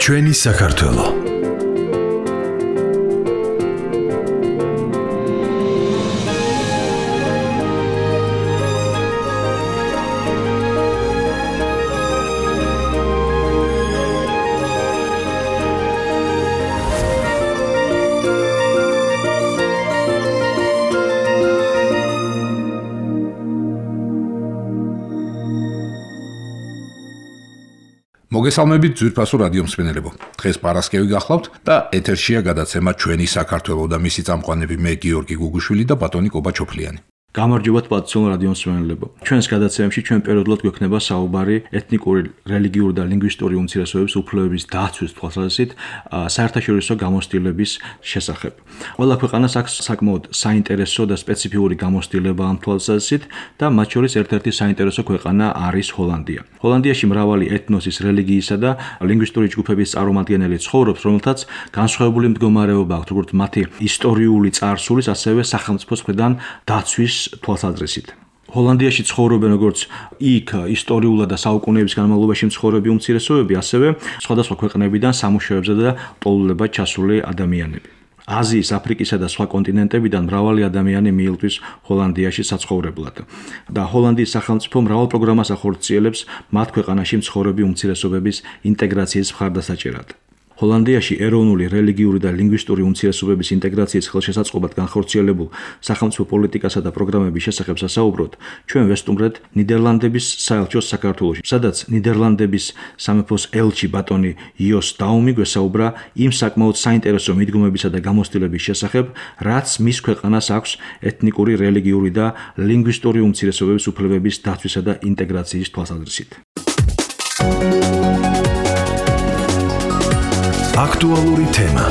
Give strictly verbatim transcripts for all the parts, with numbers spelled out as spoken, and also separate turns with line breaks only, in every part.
ჩვენი საქართველო მოგესალმებით ძვირფასო რადიო მსმენელებო. დღეს პარასკევი გახლავთ და ეთერშია გადაცემა ჩვენი საქართველო და მისი წამყვანები მე გიორგი გუგუშვილი და ბატონი კობა ჩოფლიანი.
გამარჯობათ პატიციონ რადიო მსმენელებო. ჩვენს გადაცემაში ჩვენ პერიოდულად გვექნება საუბარი ეთნიკური, რელიგიური და ლინგვისტური უმცირესობების უფლებების დაცვის თვალსაზრისით საერთაშორისო გამოცდილების შესახებ. ყველა ქვეყანას აქვს საკმაოდ საინტერესო და სპეციფიური გამოცდილება ამ თვალსაზრისით და მათ შორის ერთ-ერთი საინტერესო ქვეყანა არის ჰოლანდია. ჰოლანდიაში მრავალი ეთნოსის, რელიგიისა და ლინგვისტური ჯგუფების წარმომადგენელი ცხოვრობს, რომელთაც განსხვავებული მდგომარეობა აქვთ, როგორც მათი ისტორიული წარსულის, ასევე სახელმწიფოს მხრიდან დაცვის თვალსაზრისით. ჰოლანდიაში ცხოვრობენ როგორც იქ ისტორიულად და საუკუნეების განმავლობაში მცხოვრები უმცირესობები, ასევე სხვადასხვა ქვეყნებიდან სამუშაოებზე და პოულობად ჩასული ადამიანები. აზიის, აფრიკისა და სხვა კონტინენტებიდან მრავალი ადამიანი მიილთვის ჰოლანდიაში საცხოვრებლად. და ჰოლანდიის სახელმწიფო მრავალ პროგრამას ახორციელებს მათ ქვეყანაში მცხოვრები უმცირესობების ინტეგრაციის მხარდასაჭერად. ჰოლანდიაში ეროვნული, რელიგიური და ლინგვისტური უმცირესობების ინტეგრაციის ხელშესაწყობად განხორციელებულ სახელმწიფო პოლიტიკასა და პროგრამების შესახებ სასაუბროთ, ჩვენ ვესტუმრეთ ნიდერლანდების საელჩოს საქართველოში, სადაც ნიდერლანდების სამეფოს ელჩი ბატონი იოს დაუმი გვესაუბრა იმ საკმაოდ საინტერესო მიდგომებისა და გამოცდილების შესახებ, რაც მის ქვეყანას აქვს ეთნიკური, რელიგიური და ლინგვისტური უმცირესობების უფლებების დაცვისა და ინტეგრაციის თვალსაზრისით.
აქტუალური თემა.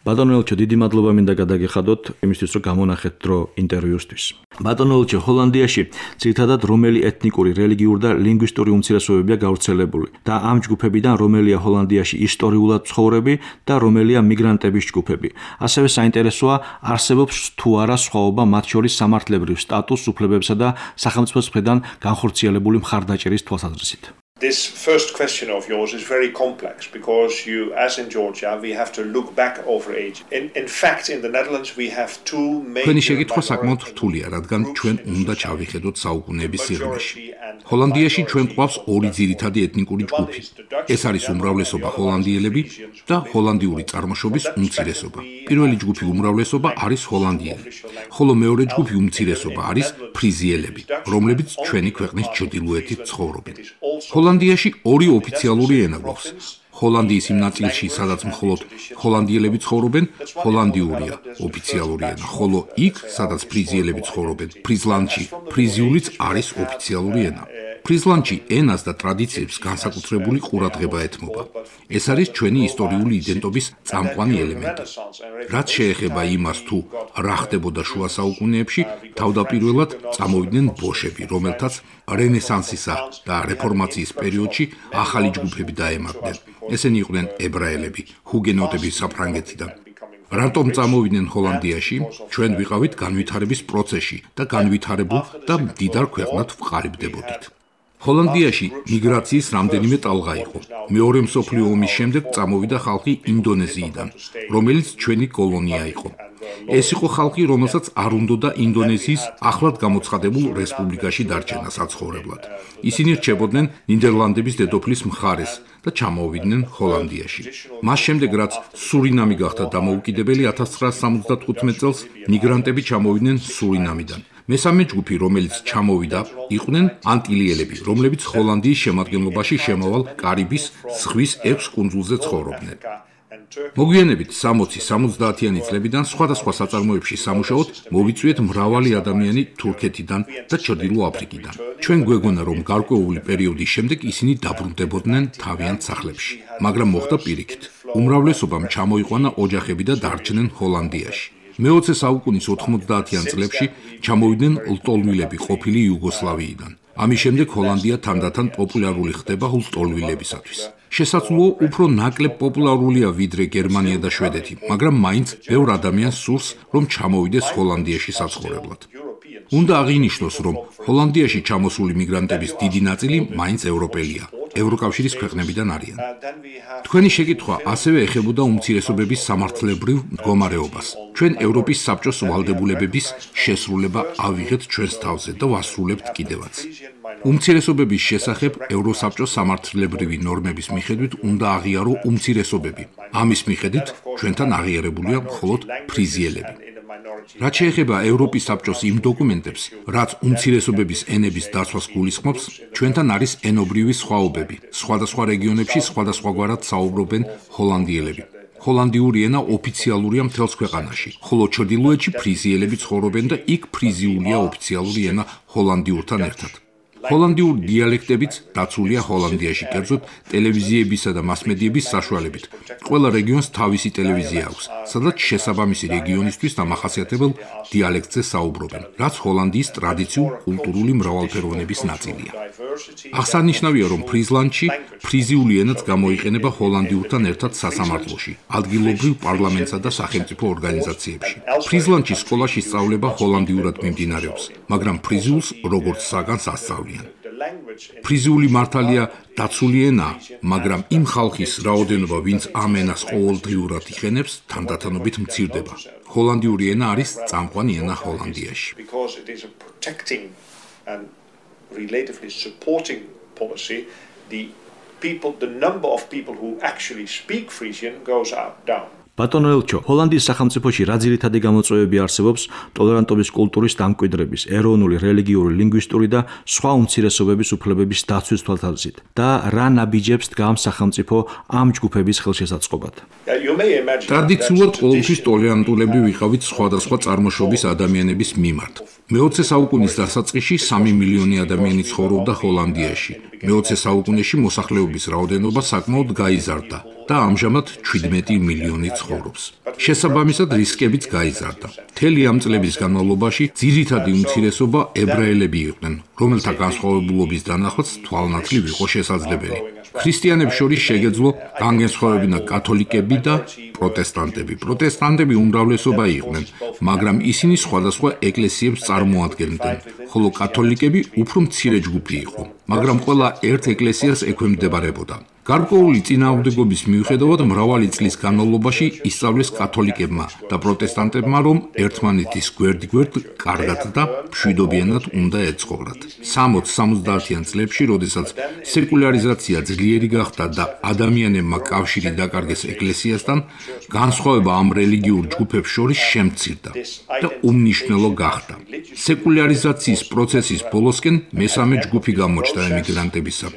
ბატონო ელჩო, დიდი მადლობა მინდა გადაგეხადოთ იმისთვის, რომ გამონახეთ დრო ინტერვიუსთვის. ბატონო ელჩო, ჰოლანდიაში ძირითადად რომელი ეთნიკური, რელიგიური და ლინგვისტური უმცირესობებია გავრცელებული და ამ ჯგუფებიდან რომელია ჰოლანდიაში ისტორიულად მცხოვრები და რომელია მიგრანტების ჯგუფები. ასევე საინტერესოა, არსებობს თუ არა სხვაობა მათ შორის სამართლებრივ სტატუსს, უფლებებსა და სახელმწიფოს მხრიდან განხორციელებული მხარდაჭერის თვალსაზრისით.
This first question of yours is very complex because you, as in Georgia, we have to look back over age. In, in fact, in the Netherlands, we have two major...
Თქვენი შეკითხვა საკმაოდ რთულია, რადგან ჩვენ უნდა ჩავიხედოთ საუკუნეების სიღრმეში. ჰოლანდიაში ჩვენ გვყავს ორი ძირითადი ეთნიკური ჯგუფი. ეს არის უმრავლესობა ჰოლანდიელები და ჰოლანდიური წარმოშობის უმცირესობა. პირველი ჯგუფი უმრავლესობა არის ჰოლანდიელი, ხოლო მეორე ჯგუფი უმცირესობა არის ფრიზიელები, რომლებიც ჩვენი ქვეყნის ჩრდილოეთით ცხოვრობენ. ჰოლანდიაში ორი ოფიციალური ენა გვაქვს. ჰოლანდიის იმ ნაწილში, სადაც მხოლოდ ჰოლანდიელები ცხოვრობენ, ჰოლანდიურია ოფიციალური ენა, ხოლო იქ, სადაც ფრიზიელები ცხოვრობენ, ფრიზლანდში, ფრიზიულიც არის ოფიციალური ენა. ფრიზლანდში ენას და ტრადიციებს განსაკუთრებული ყურადღება ეთმობა. ეს არის ჩვენი ისტორიული იდენტობის წამყვანი ელემენტი. რაც შეეხება იმას, თუ რა ხდებოდა შუა საუკუნეებში, თავდაპირველად წამოვიდნენ ბოშები, რომელთაც რენესანსისა და რეფორმაციის პერიოდში ახალი ჯგუფები დაემატნენ. ესენი იყვნენ ებრაელები, ჰუგენოტები საფრანგეთიდან. რატომ წამოვიდნენ ჰოლანდიაში? ჩვენ ვიყავით განვითარების პროცესში და განვითარებულ და მდიდარ ქვეყნად ვყალიბდებოდით. ჰოლანდიაში მიგრაციის რამდენიმე ტალღა იყო. მეორე მსოფლიო ომის შემდეგ წამოვიდა ხალხი ინდონეზიიდან, რომელიც ჩვენი კოლონია იყო. ეს იყო ხალხი, რომელსაც არ უნდოდა ინდონეზიის ახლად გამოცხადებულ რესპუბლიკაში დარჩენა საცხოვრებლად. ისინი რჩებოდნენ ნიდერლანდების დედოფლის მხარეს და ჩამოვიდნენ ჰოლანდიაში. მას შემდეგ, რაც სურინამი გახდა დამოუკიდებელი ათას ცხრაასი სამოცდათხუთმეტ წელს, მიგრანტები ჩამოვიდნენ სურინამიდან. მესამე ჯგუფი, რომელიც ჩამოვიდა, იყვნენ ანტილიელები, რომლებიც ჰოლანდიის შემადგენლობაში შემავალ კარიბის ზღვის ექვს კუნძულზე ცხოვრობდნენ. მოგვიანებით სამოცი სამოცდაათიანი წლებიდან სხვადასხვა საწარმოებში სამუშაოდ მოვიწვიეთ მრავალი ადამიანი თურქეთიდან და ჩრდილო აფრიკიდან. ჩვენ გვეგონა, რომ გარკვეული პერიოდის შემდეგ ისინი დაბრუნდებოდნენ თავიანთ სახლებში, მაგრამ მოხდა პირიქით. უმრავლესობამ ჩამოიყვანა ოჯახები და დარჩნენ ჰოლანდიაში. მეოცე საუკუნის ოთხმოცდაათიან წლებში ჩამოვიდნენ ლტოლვილები ყოფილი იუგოსლავიიდან. ამის შემდეგ ჰოლანდია თანდათან პოპულარული ხდება ლტოლვილებისათვის. შესაძლოა უფრო ნაკლებ პოპულარულია ვიდრე გერმანია და შვედეთი, მაგრამ მაინც ბევრ ადამიანს სურს, რომ ჩამოვიდეს ჰოლანდიაში საცხოვრებლად. უნდა აღინიშნოს, რომ ჰოლანდიაში ჩამოსული მიგრანტების დიდი ნაწილი მაინც ევროპელია. ევროკავშირის ქვეყნებიდან არიან. თქვენი შეკითხვა ასევე ეხებოდა უმცირესობების სამართლებრივ მდგომარეობას. ჩვენ ევროპის საბჭოს ვალდებულებების შესრულება ავიღეთ ჩვენს თავზე და ვასრულებთ კიდევაც. უმცირესობების შესახებ ევროსაბჭოს სამართლებრივი ნორმების მიხედვით უნდა აღიარო უმცირესობები. ამის მიხედვით ჩვენთან აღიარებულია მხოლოდ ფრიზიელები. რაც შეეხება ევროპის საბჭოს იმ დოკუმენტებს, რაც უმცირესობების ენების დაცვას გულისხმობს, ჩვენთან არის ენობრივი სხვაობები. სხვადასხვა რეგიონებში სხვადასხვაგვარად საუბრობენ ჰოლანდიელები. ჰოლანდიური ენა ოფიციალურია მთელს ქვეყანაში, ხოლო ჩრდილოეთში ფრიზიელები ცხოვრობენ და იქ ფრიზიულია ოფიციალური ენა ჰოლანდიურთან ერთად. ჰოლანდიური დიალექტებიც დაცულია ჰოლანდიაში, კერძოდ ტელევიზიებისა და მასმედიების საშუალებით. ყველა რეგიონს თავისი ტელევიზია აქვს, სადაც შესაბამისი რეგიონისთვის დამახასიათებელ დიალექტზე საუბრობენ, რაც ჰოლანდიის ტრადიციულ კულტურული მრავალფეროვნების ნაწილია. აღსანიშნავია, რომ ფრიზლანდში ფრიზიული ენაც გამოიყენება ჰოლანდიურთან ერთად სასამართლოში, ადგილობრივ პარლამენტსა და სახელმწიფო ორგანიზაციებში. ფრიზლანდში სკოლაში სწავლება ჰოლანდიურად მიმდინარეობს, მაგრამ ფრიზულს როგორც საგანს ასწავლიან. ფრიზიული მართალია დაცული ენა, მაგრამ იმ ხალხის რაოდენობა, ვინც ამ ენას ყოველდღიურად იყენებს, თანდათანობით მცირდება. ჰოლანდიური ენა არის წამყვანი ენა ჰოლანდიაში.
ბატონო ელჩო, ჰოლანდიის სახელმწიფოში რა ძირითადი გამოწვევები არსებობს ტოლერანტობის კულტურის დამკვიდრების, ეროვნული, რელიგიური, ლინგვისტური და სხვა უმცირესობების უფლებების დაცვის თვალსაზრისით და რა ნაბიჯებს დგამს სახელმწიფო ამ ჯგუფების ხელშესაწყობად?
ტრადიციულად ყოველთვის ტოლერანტულები ვიყავით სხვადასხვა წარმოშობის ადამიანების მიმართ. მეოცე საუკუნის დასაწყისში სამი მილიონი ადამიანი ცხოვრობდა ჰოლანდიაში. მეოცე საუკუნეში მოსახლეობის რაოდენობა საკმაოდ გაიზარდა და ამჟამად შვიდმეტი მილიონი ცხოვრობს. შესაბამისად, რისკებიც გაიზარდა. მთელი ამ წლების განმავლობაში ძირითადი უმცირესობა ებრაელები იყვნენ, რომელთა განსხვავებულობის დანახვაც თვალნათლივ იყო შესაძლებელი. ქრისტიანებს შორის შეგეძლო განგენსხვავებინა კათოლიკები და პროტესტანტები. პროტესტანტები უმრავლესობა იყვნენ, მაგრამ ისინი სხვადასხვა ეკლესიებს წარმოადგენდნენ, ხოლო კათოლიკები უფრო მცირე ჯგუფი იყო, მაგრამ ყველა ერთ ეკლესიას ექვემდებარებოდა. გარკვეული წინააღმდეგობის მიუხედავად მრავალი წლის განმავლობაში ისწავლეს კათოლიკებმა და პროტესტანტებმა, რომ ერთმანეთის გვერდ-გვერდ კარგად და მშვიდობიანად უნდა ეცხოვრათ. სამოცდ-სამოცდაათიან წლებში, როდესაც სეკულარიზაცია ძლიერი გახდა და ადამიანებმა კავშირი დაკარგეს ეკლესიასთან, განსხვავება ამ რელიგიურ ჯგუფებს შორის შემცირდა და უმნიშვნელო გახდა. სეკულარიზაციის პროცესის ბოლოსკენ მესამე ჯგუფი გამოჩნდა ემიგრანტებისა.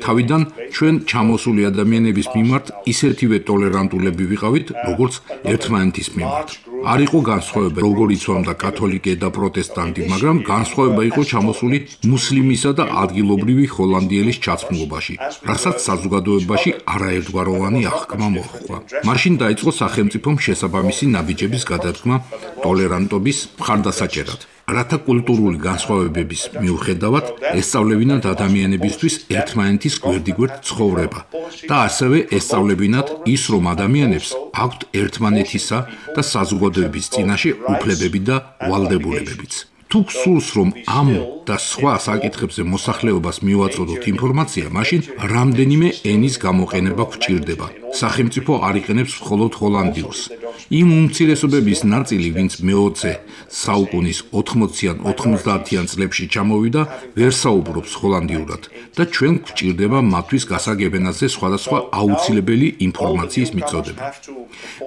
თავიდან ჩვენ ჩამოსული ადამიანების მიმართ ისეთივე ტოლერანტულები ვიყავით, როგორც ერთმანეთის მიმართ. არ იყო განსხვავება, როგორ იცვამდა კათოლიკე და პროტესტანტი, მაგრამ განსხვავება იყო ჩამოსული მუსლიმისა და ადგილობრივი ჰოლანდიელის ჩაცმულობაში, რასაც საზოგადოებაში არაერთგვაროვანი აღქმა მოჰყვა. მაშინ დაიწყო სახელმწიფომ შესაბამისი ნაბიჯების გადადგმა ტოლერანტობის მხარდასაჭერად. რათა კულტურული განსხვავებების მიუხედავად ესწავლებინათ ადამიანებისთვის ერთმანეთის გვერდიგვერდ ცხოვრება და ასევე ესწავლებინათ ის, რომ ადამიანებს აქვთ ერთმანეთისა და საზოგადოების წინაშე უფლებები და ვალდებულებებიც. თუ გსურს, რომ ამ და სხვა საკითხებზე მოსახლეობას მივაწოდოთ ინფორმაცია, მაშინ რამდენიმე ენის გამოყენება გვჭირდება. სახელმწიფო არ იყენებს მხოლოდ ჰოლანდიურს. იმ უმცირესობების ნაწილი, ვინც მეოცე საუკუნის ოთხმოციან ოთხმოცდაათიან წლებში ჩამოვიდა, ვერ საუბრობს ჰოლანდიურად და ჩვენ გვჭირდება მათთვის გასაგებენაზე სხვადასხვა აუცილებელი ინფორმაციის მიწოდება.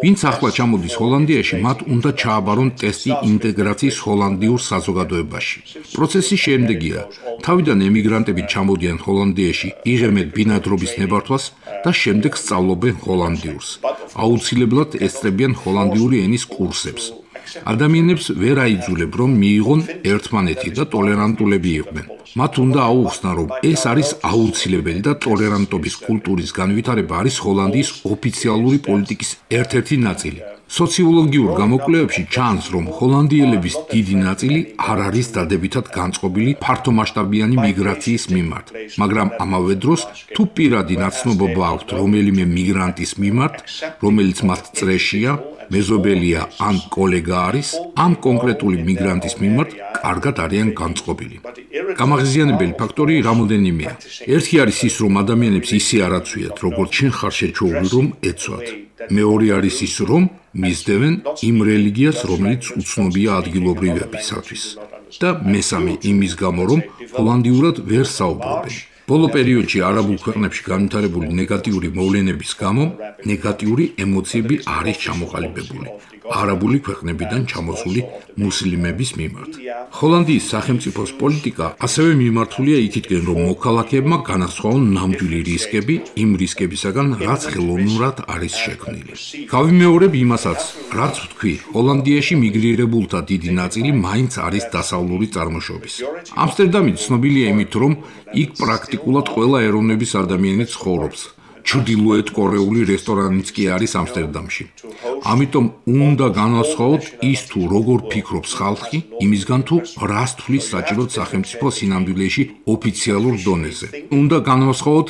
ვინც ახლა ჩამოდის ჰოლანდიაში, მათ უნდა ჩააბარონ ტესტი ინტეგრაციის ჰოლანდიურ საზოგადოებაში. პროცესი შემდეგია. თავიდან ემიგრანტები ჩამოდიან ჰოლანდიაში, იღებენ ბინადრობის ნებართვას და შემდეგ სწავლობენ ჰოლანდიურს. აუცილებლად ესწრებიან ჰოლანდიური ენის კურსებს. ადამიანებს ვერ აიძულებ, რომ მიიღონ ერთმანეთი და ტოლერანტულები იყვნენ. მათ უნდა აუხსნა, რომ ეს არის აუცილებელი და ტოლერანტობის კულტურის განვითარება არის ჰოლანდიის ოფიციალური პოლიტიკის ერთ-ერთი ნაწილი. სოციოლოგიურ გამოკვლევებში ჩანს, რომ ჰოლანდიელების დიდი ნაწილი არ არის დადებითად განწყობილი ფართომასშტაბიანი მიგრაციის მიმართ, მაგრამ ამავე დროს თუ პირადი ნაცნობობა აქვთ რომელიმე მიგრანტის მიმართ, რომელიც მათ წრეშია, მეზობელია ან კოლეგა არის, ამ კონკრეტული მიგრანტის მიმართ კარგად არიან განწყობილი. გამაღიზიანებელი ფაქტორი რამოდენიმეა. ერთი არის ის, რომ ადამიანებს ისე არ აცვიათ, როგორც შენ ხარ შეჩეული, რომ ეცვათ. მეორე არის ის, რომ მისდევენ იმ რელიგიას, რომელიც უცნობია ადგილობრივებისათვის. და მესამე იმის გამო, რომ ჰოლანდიურად ვერ საუბრობენ. ბოლო პერიოდში არაბულ ქვეყნებში განვითარებული ნეგატიური მოვლენების გამო ნეგატიური ემოციები არის ჩამოყალიბებული არაბული ქვეყნებიდან ჩამოსული მუსლიმების მიმართ. ჰოლანდიის სახელმწიფოს პოლიტიკა ასევე მიმართულია იქითკენ, რომ მოქალაქეებმა განასხვაონ ნამდვილი რისკები იმ რისკებისაგან, რაც ხელოვნურად არის შექმნილი. გავიმეორებ იმასაც, რაც ვთქვი, ჰოლანდიაში მიგრირებულთა დიდი ნაწილი მაინც არის დასავლური წარმოშობის. ამსტერდამი ცნობილია იმით, რომ იქ პრაქტიკულად ყველა ეროვნების ადამიანი ცხოვრობს. ჩრდილოეთ კორეული რესტორანიც კი არის ამსტერდამში. ამიტომ უნდა განვასხვაოთ ის თუ როგორ ფიქრობს ხალხი, იმისგან თუ რას თვლის საჭიროდ სახელმწიფო სინამდვილეში ოფიციალურ დონეზე. უნდა განვასხვაოთ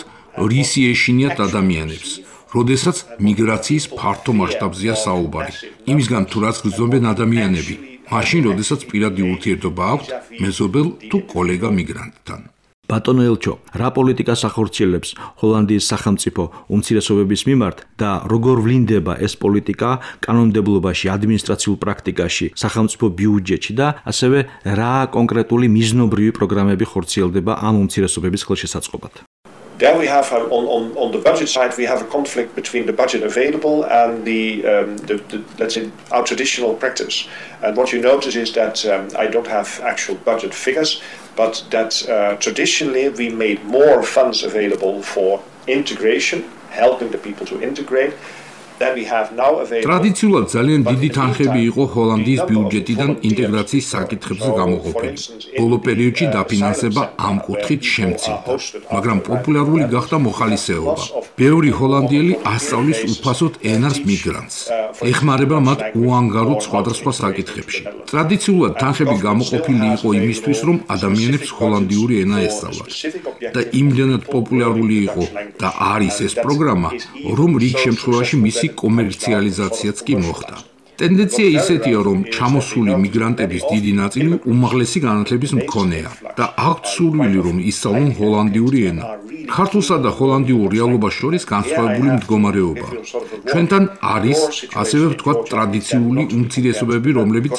რისი ეშინიათ ადამიანებს, როდესაც მიგრაციის ფართო მასშტაბზეა საუბარი. იმისგან თუ რაც გრძნობენ ადამიანები, მაშინ როდესაც პირადი ურთიერთობა აქვთ მეზობელ თუ კოლეგა მიგრანტთან.
ბატონო ელჩო, რა პოლიტიკას ახორციელებს ჰოლანდიის სახელმწიფო უმცირესობების მიმართ და როგორ ვლინდება ეს პოლიტიკა კანონმდებლობაში, ადმინისტრაციულ პრაქტიკაში, სახელმწიფო ბიუჯეტში და ასევე რა კონკრეტული მიზნობრივი პროგრამები ხორციელდება ამ უმცირესობების ხელშესაწყობად?
There we have on, on, on the budget side we have a conflict between the budget available and the, um, the, the let's say our traditional practice. And what you notice is that um, I don't have actual budget figures, but that uh, traditionally we made more funds available for integration, helping the people to integrate.
ტრადიციულად ძალიან დიდი თანხები იყო ჰოლანდიის ბიუჯეტიდან ინტეგრაციის საკითხებზე გამოყოფილი. ბოლო პერიოდში დაფინანსება ამ კუთხით შემცირდა, მაგრამ პოპულარული გახდა მოხალისეობა. ბევრი ჰოლანდიელი ასწავლის უფასოდ ენას მიგრანტს. ეხმარება მათ უანგაროდ სხვადასხვა საკითხებში. ტრადიციულად თანხები გამოყოფილი იყო იმისთვის, რომ ადამიანებს ჰოლანდიური ენა ესწავლათ. და იმდენად პოპულარული იყო და არის ეს პროგრამა, რომ რიგ შემთხვევაში მისი კომერციალიზაციაც კი მოხდა. ტენდენცია ისეთია, რომ ჩამოსული მიგრანტების დიდი ნაწილი უმაღლესი განათლების მქონეა და აქვთ სურვილი, რომ ისწავლონ ჰოლანდიური ენა. ქართულსა და ჰოლანდიურ რეალობას შორის განსხვავებული მდგომარეობა. ჩვენთან არის, ასევე ვთქვათ, ტრადიციული უმცირესობები, რომლებიც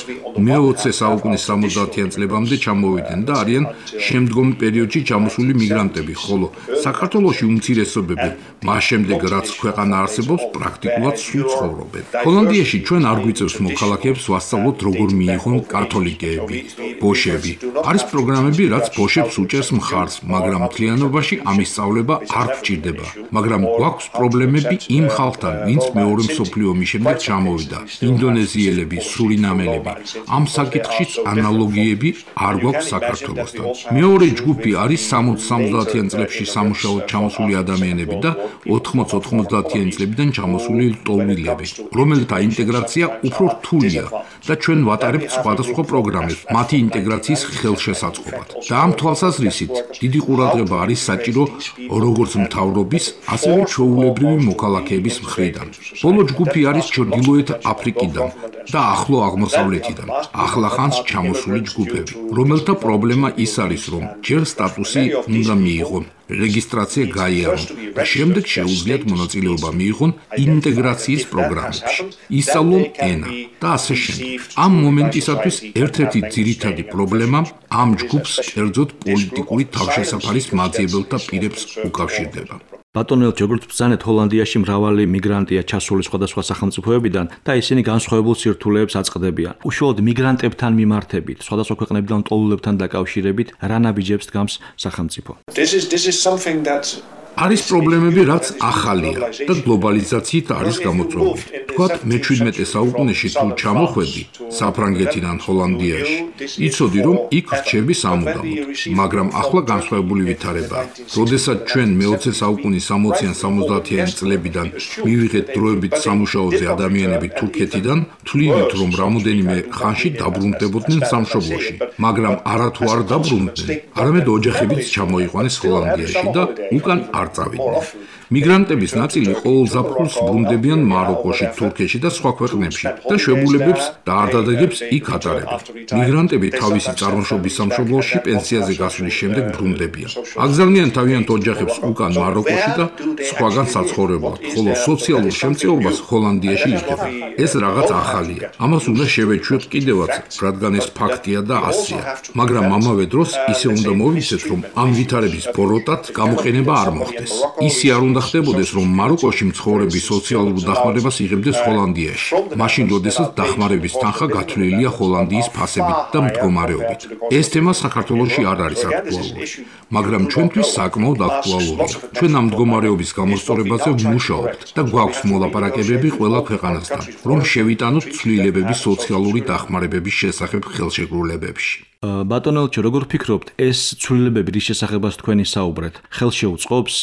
მეოცე საუკუნის სამოცდაათიან წლებამდე ჩამოვიდნენ და არიან შემდგომ პერიოდში ჩამოსული მიგრანტები, ხოლო საქართველოში უმცირესობები, მას შემდეგ რაც ქვეყანა არსებობს, პრაქტიკულად სულ ცხოვრობენ. ჰოლანდიაში ჩვენ არ გვიწევს მოქალაქეებს ვასწავლოთ, როგორ მიიღონ კათოლიკეები, ბოშები. არის პროგრამები, რაც ბოშებს უჭერს მხარს, მაგრამ მთლიანობაში ამის სწავლება არ გვჭირდება, მაგრამ გვაქვს პრობლემები იმ ხალხთან, ვინც მეორე მსოფლიო ომის შემდეგ ჩამოვიდა, ინდონეზიელები, სურინამელები. ამ საკითხშიც ანალოგიები არ გვაქვს საქართველოსთან. მეორე ჯგუფი არის სამოცდაათიან წლებში სამუშაოდ ჩამოსული ადამიანები და ოთხმოცდაათიან წლებიდან ჩამოსული ლტოლვილები, რომელთა ინტეგრაცია უფრო რთულია და ჩვენ ვატარებთ სხვადასხვა პროგრამებს მათი ინტეგრაციის ხელშესაწყობად. და ამ თვალსაზრისით დიდი ყურადღება არის საჭირო როგორც მთავრობის, ასევე ჩვეულებრივი მოქალაქეების მხრიდან. ბოლო ჯგუფი არის ჩრდილოეთ აფრიკიდან და ახლო აღმოსავლეთიდან, ახლახანს ჩამოსული ჯგუფები, რომელთა პრობლემა ის არის, რომ ჯერ სტატუსი უნდა მიიღონ, რეგისტრაცია გაიარონ და შემდეგ შეუძლიათ მონაწილეობა მიიღონ ინტეგრაციის პროგრამებში, ისწავლონ ენა და ასე შემდეგ. ამ მომენტისათვის ერთ-ერთი ძირითადი პრობლემა ამ ჯგუფს კერძოდ პოლიტიკური თავშესაფარის მაძიებელთა პირებს უკავშირდება.
ბატონო ელჩო, როგორც ბრძანეთ, ჰოლანდიაში მრავალი მიგრანტია ჩასული სხვადასხვა სახელმწიფოებიდან და ისინი განსხვავებულ სირთულეებს აწყდებიან. უშუალოდ მიგრანტებთან მიმართებით, სხვადასხვა ქვეყნებიდან მტოლულებთან დაკავშირებით, რა ნაბიჯებს დგამს სახელმწიფო?
This is this is something that
არის პრობლემები, რაც ახალია და გლობალიზაციით არის გამოწვეული. თქვათ, მეჩვიდმეტე საუკუნეში თუ ჩამოხვედი საფრანგეთიდან ჰოლანდიაში, იცოდი, რომ იქ რჩები სამუდამოდ, მაგრამ ახლა განსხვავებული ვითარებაა. როდესაც ჩვენ მეოცე საუკუნის სამოციან სამოცდაათიან წლებიდან მივიღეთ დროებით სამუშაოზე ადამიანები თურქეთიდან, თვლიდით, რომ რამოდენიმე ხანში დაბრუნდებოდნენ სამშობლოში, მაგრამ არათუ არ დაბრუნდნენ, არამედ ოჯახებიც ჩამოიყვანეს ჰოლანდიაში და უკან არ წავიდნენ. მიგრანტების ნაწილი ყოველ ზაფხულს ბრუნდებიან მაროკოში, თურქეთში და სხვა ქვეყნებში და შვებულებებს და არდადეგებს იქ ატარებენ. მიგრანტები თავისი წარმოშობის სამშობლოში პენსიაზე გასვლის შემდეგ ბრუნდებიან. აგზავნიან თავიანთ ოჯახებს უკან მაროკოში და სხვაგან საცხოვრებლად, ხოლო სოციალურ შემწეობას ჰოლანდიაში იღებენ. ეს რაღაც ახალია. ამას უნდა შევეჩვიოთ კიდევაც, რადგან ეს ფაქტია და ასია. მაგრამ ამავე დროს ისე უნდა მოვიცეთ, რომ ამ ვითარების ბოროტად გამოყენება არ მოხდეს. ისე არ უნდა ხდებოდეს, რომ მაროკოში მცხოვრები სოციალურ დახმარებას იღებდეს ჰოლანდიაში, მაშინ როდესაც დახმარების თანხა გათვლილია ჰოლანდიის ფასებით და მდგომარეობით. ეს თემა საქართველოში არ არის აქტუალური, მაგრამ ჩვენთვის საკმაოდ აქტუალურია. ჩვენ ამ მდგომარეობის გამოსწორებაზე ვმუშაობთ და გვაქვს მოლაპარაკებები ყველა ქვეყანასთან, რომ შევიტანოთ ცვლილებების სოციალური დახმარებების შესახებ ხელშეკრულებებში.
ბატონო ელჩო, როგორ ფიქრობთ, ეს ცვლილებები რის შესახებაც თქვენი საუბრეთ, ხელშეუწყობს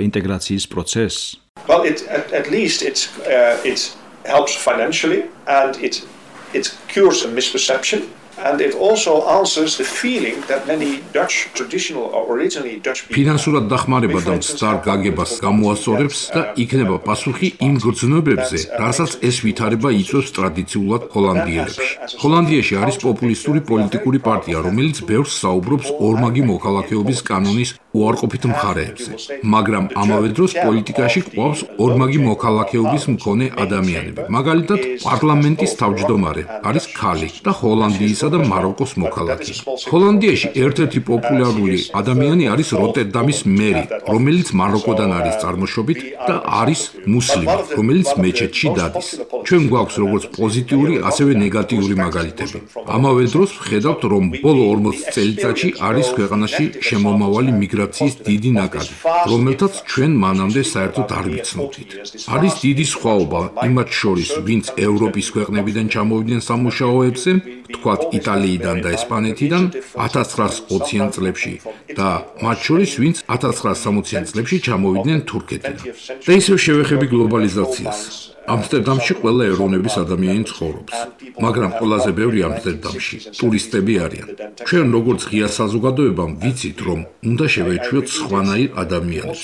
ინტეგრაციის პროცესს?
Well, it, at, at least it's, uh, it helps financially and it, it cures a misperception. And it also answers the feeling that many Dutch traditional or originally Dutch people
ფინანსურად დახმარება და მცდარ გაგებას გამოასწორებს და იქნება პასუხი იმ გრძნობებზე, რასაც ეს ვითარება იწვევს ტრადიციულად ჰოლანდიელებში. ჰოლანდიაში არის პოპულისტური პოლიტიკური პარტია, რომელიც ბევრს საუბრობს ორმაგი მოქალაქეობის კანონის უარყოფით მხარეებზე, მაგრამ ამავე დროს პოლიტიკაში ყვავს ორმაგი მოქალაქეობის მქონე ადამიანები. მაგალითად, პარლამენტის თავმჯდომარე არის ქალი და ჰოლანდიისა და მაროკოს მოქალაქე. ჰოლანდიაში ერთ-ერთი პოპულარული ადამიანი არის როტერდამის მერი, რომელიც მაროკოდან არის წარმოშობით და არის მუსლიმი, რომელიც მეჩეთში დადის. ჩვენ გვაქვს როგორც პოზიტიური, ასევე ნეგატიური მაგალითები. ამავე დროს ვხედავთ, რომ ბოლო ორმოც წელიწადში არის ქვეყანაში შემომავალი მიგრაციის დიდი ნაკადი, რომელთაც ჩვენ მანამდე საერთოდ არ ვიცნობდით. არის დიდი სხვაობა იმათ შორის, ვინც ევროპის ქვეყნებიდან ჩამოვიდნენ სამუშაოებზე, თქვათ იტალიიდან და ესპანეთიდან ათას ცხრაასი ოციან წლებში და მათ შორის ვინც ათას ცხრაასი სამოციან წლებში ჩამოვიდნენ თურქეთიდან. და ისევ შევეხები გლობალიზაციას. ამსტერდამში ყველა ეროვნების ადამიანი ცხოვრობს, მაგრამ ყველაზე ბევრი ამსტერდამში ტურისტები არიან. ჩვენ როგორც ღია საზოგადოებამ ვიცით, რომ უნდა შევეჩვიოთ სხვანაირ ადამიანებს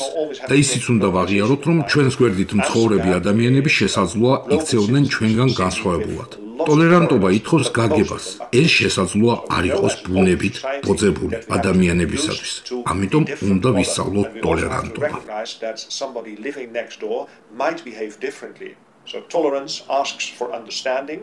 და ისიც უნდა ვაღიაროთ, რომ ჩვენს გვერდით მცხოვრები ადამიანები შესაძლოა იქცეოდნენ ჩვენგან განსხვავებულად. ტოლერანტობა ითხოვს გაგებას. ეს შესაძლოა არ იყოს ბუნებით ბოძებული ადამიანებისათვის. ამიტომ უნდა ვისწავლოთ ტოლერანტობა.
So tolerance asks for understanding,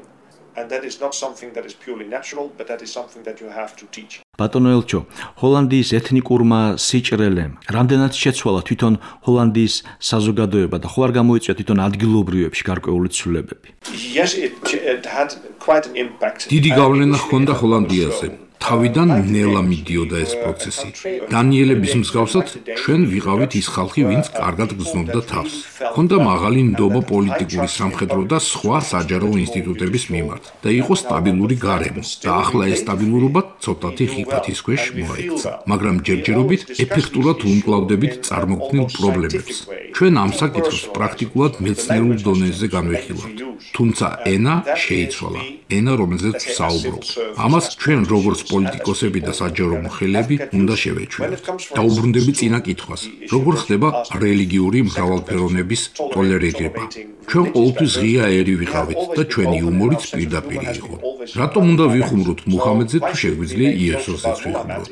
and that is not something that is purely natural, but that is something that you have to teach.
ბატონო ელჩო, ჰოლანდიის ეთნიკურმა სიჭრელემ რამდენად შეცვალა თვითონ ჰოლანდიის საზოგადოება და ხო არ გამოიწვია თვითონ ადგილობრივებში გარკვეული ცვლილებები?
Yes, it, it had quite an impact.
დიდი გავლენა ჰქონდა ჰოლანდიაზე. თავიდან ნელა მიდიოდა ეს პროცესი. დანიელების მსგავსად ჩვენ ვიყავით ის ხალხი, ვინც კარგად გრძნობდა თავს. ჰქონდა მაღალი ნდობა პოლიტიკური, სამხედრო და სხვა საჯარო ინსტიტუტების მიმართ და იყო სტაბილური გარემო. და ახლა ეს სტაბილურობა ცოტათი ხიფათის ქვეშ მოექცა. მაგრამ ჯერჯერობით ეფექტურად უმკლავდებით წარმოქმნილ პრობლემებს. ჩვენ ამ საკითხს პრაქტიკულად მეცნიერულ დონეზე განვიხილავთ. თუმცა ენა შეიცვალა. ენა, რომელზეც ვსაუბრობ. ამას ჩვენ როგორც პოლიტიკოსები და საჯარო მოხელეები უნდა შევეჩვენოთ. დაუბრუნდები წინა კითხვას, როგორ ხდება რელიგიური მრავალფეროვნების ტოლერირება. ჩვენ ყოველთვის ღია ერი ვიყავით და ჩვენი იუმორიც პირდაპირ იყო. რატომ უნდა ვიხუმროთ მუჰამედზე თუ შეგვიძლია იესოსზეც ვიხუმროთ?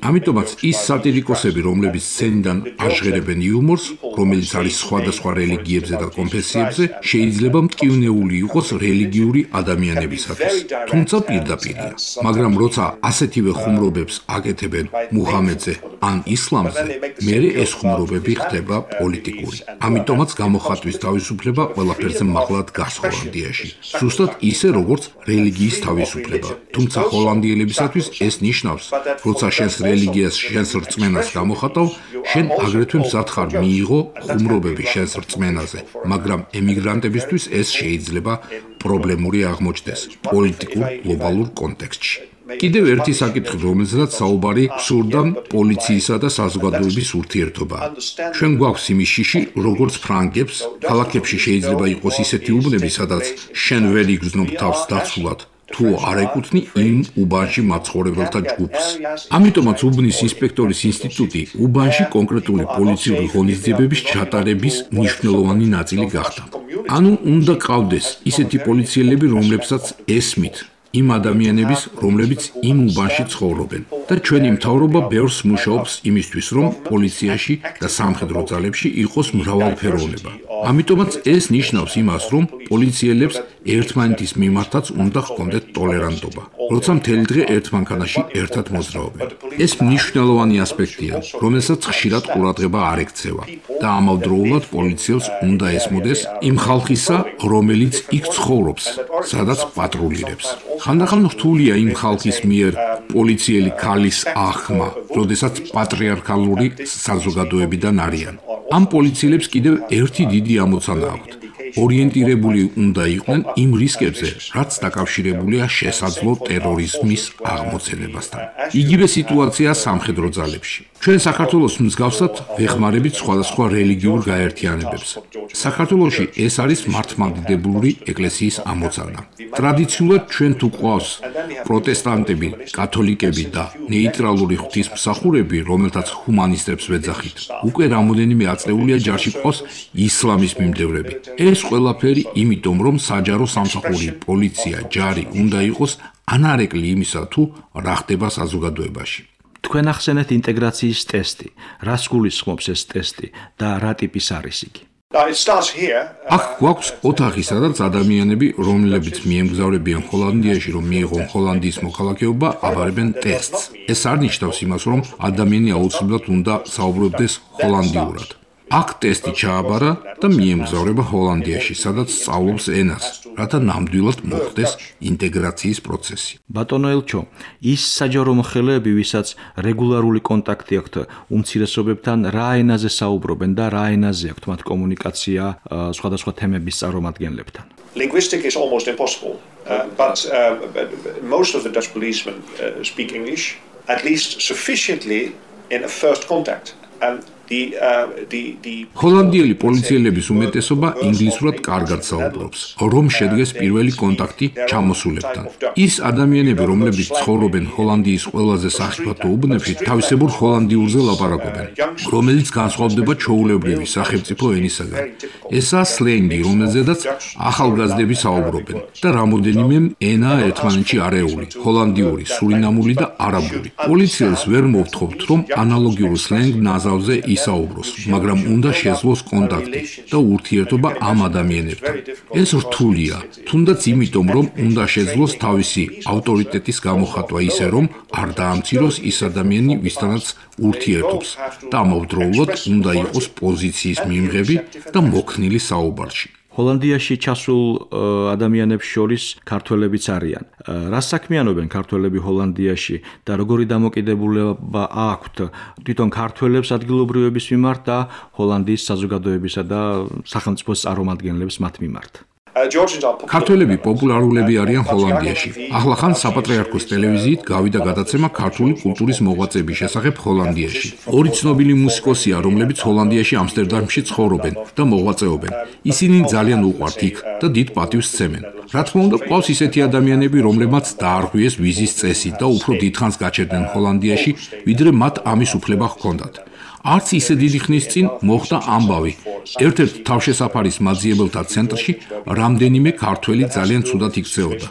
ამიტომაც ის სატირიკოსები, რომლებიც სცენიდან აჟღერებენ იუმორს, რომელიც არის სხვადასხვა რელიგიებზე და კონფესიებზე, შეიძლება მტკივნეული იყოს რელიგიური ადამიანებისათვის. თუმცა პირდაპირია. მაგრამ როცა ასეთივე ხუმრობებს აკეთებენ მუჰამედზე ან ისლამზე, მერე ეს ხუმრობები ხდება პოლიტიკური. ამიტომაც გამოხატვის თავისუფლება ყველაფერზე მაღლა დგას ჰოლანდიაში. ზუსტად ისე, როგორც რელიგიის თავისუფლება. თუმცა ჰოლანდიელებისათვის ეს ნიშნავს, როცა შენს რელიგიას, შენს რწმენას გამოხატავ, შენ აგრეთვე მზად ხარ მიიღო ხუმრობები შენს რწმენაზე, მაგრამ ემიგრანტებისთვის ეს შეიძლება პრობლემური აღმოჩნდეს პოლიტიკურ გლობალურ კონტექსტში. კიდევ ერთი საკითხი, რომელზეც საუბარი სურდა პოლიციისა და საზოგადოების ურთიერთობა. ჩვენ გვაქვს იმის შიში, როგორც ფრანგებს, ქალაქებში შეიძლება იყოს ისეთი უბნები, სადაც შენ ვერ იგრძნობ თავს დაცულად, თუ არ ეკუთვნი იმ უბანში მაცხოვრებელთა ჯგუფს. ამიტომაც უბნის ინსპექტორის ინსტიტუტი უბანში კონკრეტული პოლიციური ღონისძიებების ჩატარების მნიშვნელოვანი ნაწილი გახდა. ანუ უნდა ყავდეს ისეთი პოლიციელები, რომლებსაც ესმით იმ ადამიანების, რომლებიც იმ უბანში ცხოვრობენ. და ჩვენი მთავრობა ბევრს მუშაობს იმისთვის, რომ პოლიციაში და სამხედრო ძალებში იყოს მრავალფეროვნება. ამიტომაც ეს ნიშნავს იმას, რომ პოლიციელებს ერთმანეთის მიმართაც უნდა ჰქონდეთ ტოლერანტობა, როცა მთელი დღე ერთ მანქანაში ერთად მოძრაობენ. ეს მნიშვნელოვანი ასპექტია, რომელსაც ხშირად ყურადღება არ ექცევა და ამავდროულად პოლიციელს უნდა ესმოდეს იმ ხალხისა, რომელიც იქ ცხოვრობს, სადაც პატრულირებს. ხანდახან რთულია იმ ხალხის მიერ პოლიციელი ქალის ახმა, როდესაც პატრიარქალური საზოგადოებიდან არიან. ამ პოლიციელებს კიდევ ერთი დიდი ამოცანა აქვთ. ორიენტირებული უნდა იყვნენ იმ რისკებზე, რაც დაკავშირებულია შესაძლო ტერორიზმის აღმოცენებასთან. იგივე სიტუაცია სამხედრო ძალებში. ჩვენ საქართველოს მსგავსად ვეხმარებით სხვადასხვა რელიგიურ გაერთიანებებს. საქართველოში ეს არის მართლმადიდებლური ეკლესიის ამოცანა. ტრადიციულად ჩვენ თუ ყავს პროტესტანტები, კათოლიკები და ნეიტრალური ღვთისმსახურები, რომელთაც ჰუმანისტებს ვეძახით, უკვე რამოდენიმე აწეულია ჯარში ყავს ისლამის მიმდევრები. ეს ყველაფერი იმიტომ, რომ საჯარო სამსახური, პოლიცია, ჯარი უნდა იყოს ანარეკლი იმისა, თუ რა ხდება საზოგადოებაში.
თქვენ ახსენეთ ინტეგრაციის ტესტი. რას გულისხმობს ეს ტესტი და რა ტიპის არის იგი?
აქ გვაქვს ოთახი, სადაც ადამიანები, რომლებიც მიემგზავრებიან ჰოლანდიაში, რომ მიიღონ ჰოლანდიის მოქალაქეობა, აბარებენ ტესტს. ეს არ ნიშნავს იმას, რომ ადამიანი აუცილებლად უნდა საუბრობდეს ჰოლანდიურად. აქ ტესტი ჩააბარა და მიემგზავრება ჰოლანდიაში, სადაც სწავლობს ენას, რათა ნამდვილად მოხდეს ინტეგრაციის პროცესი.
ბატონო ელჩო, ის საჯარო მოხელეები, ვისაც რეგულარული კონტაქტი აქვთ უმცირესობებთან, რა ენაზე საუბრობენ და რა ენაზე აქვთ მათ კომუნიკაცია სხვადასხვა თემების წარმომადგენლებთან?
Linguistic is almost impossible, uh, but, uh, but most of the Dutch policemen uh, speak English, at least sufficiently in a first contact. And the uh, the the
ჰოლანდიელი პოლიციელების უმეტესობა ინგლისურად კარგად საუბრობს, რომ შედგეს პირველი კონტაქტი ჩამოსულებთან. ის ადამიანები, რომლებიც ცხოვრობენ ჰოლანდიის ყველაზე სახიფათო უბნებში, თავისებურ ჰოლანდიურზე ლაპარაკობენ, რომელიც განსხვავდება ჩვეულებრივი სახელმწიფო ენისაგან. ესაა სლენგი, რომელზედაც ახალგაზრდები საუბრობენ და რამოდენიმე ენაა ერთმანეთში არეული, ჰოლანდიური, სურინამული და არაბული. პოლიციელს ვერ მოვთხოვთ, რომ ანალოგიურ სლენგ ნაზავზე ისაუბროს, მაგრამ უნდა შეძლოს კონტაქტი და ურთიერთობა ამ ადამიანებთან. ეს რთულია, თუნდაც იმიტომ, რომ უნდა შეძლოს თავისი ავტორიტეტის გამოხატვა ისე, რომ არ დაამციროს ის ადამიანი, ვისთანაც ურთიერთობს და ამავდროულად უნდა იყოს პოზიციის მიმღები და მოქნილი საუბარში.
ჰოლანდიაში ჩასულ ადამიანებს შორის ქართველებიც არიან. რა საქმიანობენ ქართველები ჰოლანდიაში და როგორი დამოკიდებულება აქვთ თვითონ ქართველებს ადგილობრივების მიმართ და ჰოლანდიის საზოგადოებისა და სახელმწიფოს წარმომადგენლებს მათ მიმართ?
ქართველები პოპულარულები არიან ჰოლანდიაში. ახლახან საპატრიარქოს ტელევიზიით გავიდა გადაცემა ქართული კულტურის მოღვაწეების შესახებ ჰოლანდიაში. ორი ცნობილი მუსიკოსია, რომლებიც ჰოლანდიაში ამსტერდამში ცხოვრობენ და მოღვაწეობენ. ისინი ძალიან უყვართ იქ და დიდ პატივს სცემენ. რა თქმა უნდა, ყავს ისეთი ადამიანები, რომლებმაც დაარღვიეს ვიზის წესი და უფრო დიდხანს გაჩერდნენ ჰოლანდიაში, ვიდრე მათ ამის უფლება ჰქონდათ. არც ისე დიდი ხნის წინ მოხდა ამბავი. ერთ-ერთ თავშესაფარის მაძიებელთა ცენტრში რამდენიმე ქართველი ძალიან ცუდად იქცეოდა.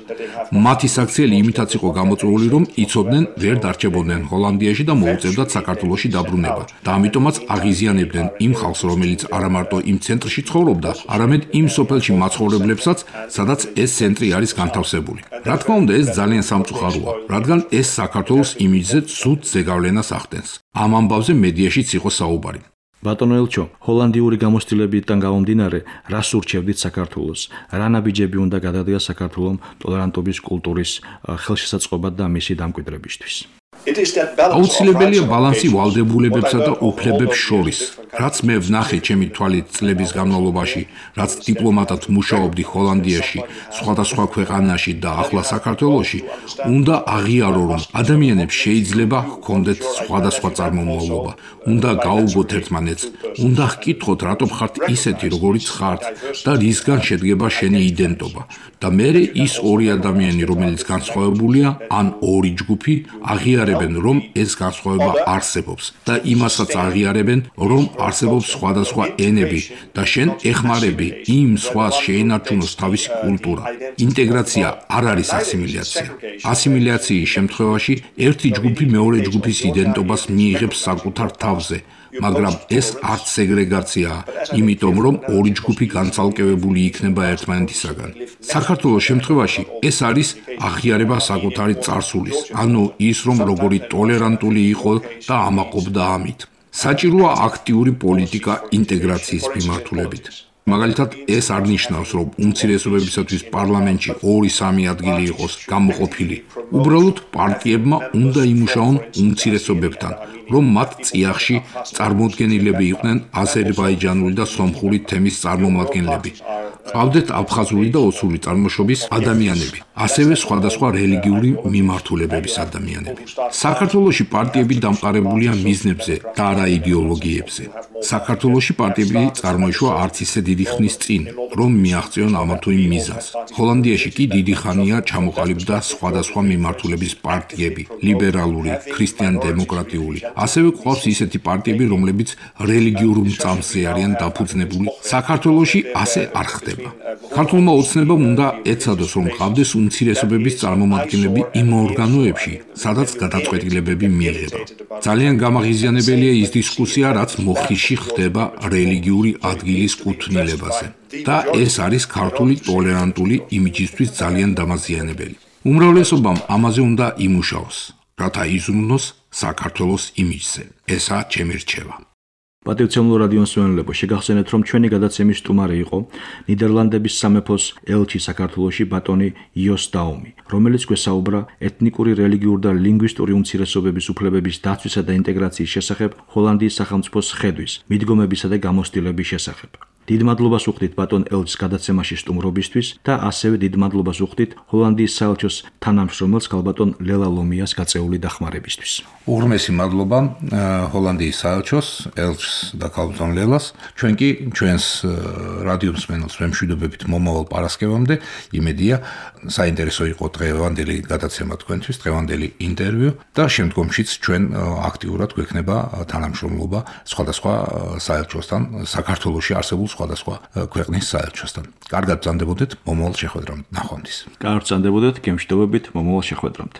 მათი საქციელი იმითაც იყო გამოწვეული, რომ იცოდნენ ვერ დარჩებოდნენ ჰოლანდიაში და მოუწევდათ საქართველოში დაბრუნება. და ამიტომაც აღიზიანებდნენ იმ ხალხს, რომელიც არა მარტო იმ ცენტრში ცხოვრობდა, არამედ იმ სოფელში მაცხოვრებლებსაც, სადაც ეს ცენტრი არის განთავსებული. რა თქმა უნდა, ეს ძალიან სამწუხაროა, რადგან ეს საქართველოს იმიჯზე ცუდ ზეგავლენას ახდენს. ამ ამბავზე მედიაშიც იყო საუბარი.
ბატონო ელჩო, ჰოლანდიური გამოცდილებიდან გამომდინარე, რას ურჩევდით საქართველოს? რა ნაბიჯები უნდა გადადგას საქართველოს ტოლერანტობის კულტურის ხელშესაწყობად და მისი დამკვიდრებისთვის?
აუცილებელია ბალანსი ვალდებულებებსა და უფლებებს შორის. რაც მე ვნახე ჩემი თვალით წლების განმავლობაში, რაც დიპლომატად მუშაობდი ჰოლანდიაში, სხვადასხვა ქვეყანაში და ახლა საქართველოში, უნდა აღიარო, რომ ადამიანებს შეიძლება ჰქონდეთ სხვადასხვა წარმომავლობა, უნდა გაუგოთ ერთმანეთს, უნდა ჰკითხოთ, რატომ ხართ ისეთი, როგორიც ხართ და რისგან შედგება შენი იდენტობა. და მერე ის ორი ადამიანი, რომელიც განსხვავებულია, ან ორი ჯგუფი, აღიარებენ, რომ ეს განსხვავება არსებობს და იმასაც აღიარებენ, რომ არსებობს სხვადასხვა ენები და შენ ეხმარები იმ სხვას შეენარჩუნოს თავისი კულტურა. ინტეგრაცია არ არის ასიმილაცია. ასიმილაციის შემთხვევაში ერთი ჯგუფი მეორე ჯგუფის იდენტობას მიიღებს საკუთარ თავზე, მაგრამ ეს არც სეგრეგაციაა, იმიტომ რომ ორი ჯგუფი განცალკევებული იქნება ერთმანეთისაგან. საქართველოს შემთხვევაში ეს არის აღიარება საკუთარი წარსულის, ანუ ის, რომ როგორი ტოლერანტული იყო და ამაყობდა ამით. საჭიროა აქტიური პოლიტიკა ინტეგრაციის მიმართულებით. მაგალითად, ეს არ ნიშნავს, რომ უმცირესობებისათვის პარლამენტში ორი-სამი ადგილი იყოს გამოყოფილი. უბრალოდ პარტიებმა უნდა იმუშაონ უმცირესობებთან, რომ მათ წიაღში წარმოდგენილები იყვნენ აზერბაიჯანული და სომხური თემის წარმომადგენლები. ყავდეთ აფხაზური და ოსური წარმოშობის ადამიანები, ასევე სხვადასხვა რელიგიური მიმართულებების ადამიანები. საქართველოში პარტიები დამყარებულია მიზნებზე და არა იდეოლოგიებზე. საქართველოში პარტიები წარმოიშვა არც ისე დიდი ხნის წინ, რომ მიაღწიონ ამა თუ იმ მიზანს. ჰოლანდიაში კი დიდი ხანია ჩამოყალიბდა სხვადასხვა მიმართულების პარტიები, ლიბერალური, ქრისტიან-დემოკრატიული. ასევე ყავს ისეთი პარტიები, რომლებიც რელიგიურ მწამსზე არიან დაფუძნებული. საქართველოში ასე არ ხდება. ქართულმა ოცნებამ უნდა ეცადოს, რომ ყავდეს უმცირესობების წარმომადგენლები იმ ორგანოებში, სადაც გადაწყვეტილებები მიიღება. ძალიან გამაღიზიანებელია ის დისკუსია, რაც მოხიში ხდება რელიგიური ადგილის კუთვნილებაზე. და ეს არის ქართული ტოლერანტული იმიჯისთვის ძალიან დამაზიანებელი. უმრავლესობამ ამაზე უნდა იმუშაოს, რათა იზრუნოს საქართველოს იმიჯზე. ესაა ჩემი რჩევა.
პატივცემულო რადიო მსმენელებო, შეგახსენეთ, რომ ჩვენი გადაცემის სტუმარი იყო ნიდერლანდების სამეფოს ელჩი საქართველოში ბატონი იოს დაუმი, რომელიც გვესაუბრა ეთნიკური, რელიგიური და ლინგვისტური უმცირესობების უფლებების დაცვისა და ინტეგრაციის შესახებ ჰოლანდიის სახელმწიფოს ხედვის, მიდგომებისა და გამოცდილების შესახებ. დიდ მადლობას ვუხდით ბატონ ელჩის გადაცემაში სტუმრობისთვის და ასევე დიდ მადლობას ვუხდით ჰოლანდიის საელჩოს თანამშრომელს ქალბატონ ლელა ლომიას გაწეული დახმარებისთვის.
უღრმესი მადლობა ჰოლანდიის საელჩოს, ელჩს და ქალბატონ ლელას. ჩვენ კი ჩვენს რადიო მსმენელს ვემშვიდობებით მომავალ პარასკევამდე. იმედია, საინტერესო იყო დღევანდელი გადაცემა თქვენთვის, დღევანდელი ინტერვიუ და შემდგომშიც ჩვენ აქტიურად გვექნება თანამშრომლობა სხვადასხვა საელჩოსთან, საქართველოში არსებულ სხვადასხვა ქვეყნის საელჩოსთან. კარგად ბრძანდებოდეთ მომავალ შეხვედრამდე. ნახვამდის.
კარგად ბრძანდებოდეთ, გემშვიდობებით მომავალ შეხვედრამდე.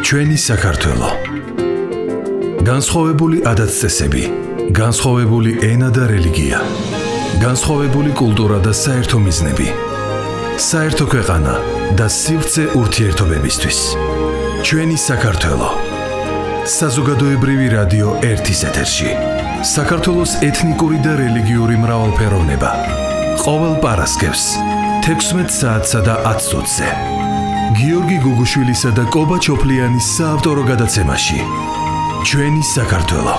ჩვენი საქართველო. განსხვავებული ადათ-წესები, განსხვავებული ენა და რელიგია, განსხვავებული კულტურა და საერთო მიზნები, საერთო ქვეყანა და სივრცე ურთიერთობებისთვის. ჩვენი საქართველო. საზოგადოებრივი რადიო ერთის ეთერში. საქართველოს ეთნიკური და რელიგიური მრავალფეროვნება. ყოველ პარასკევს თექვსმეტ საათსა და ათს ოცზე. გიორგი გუგუშვილისა და კობა ჩოფლიანის საავტორო გადაცემაში. ჩვენი საქართველო.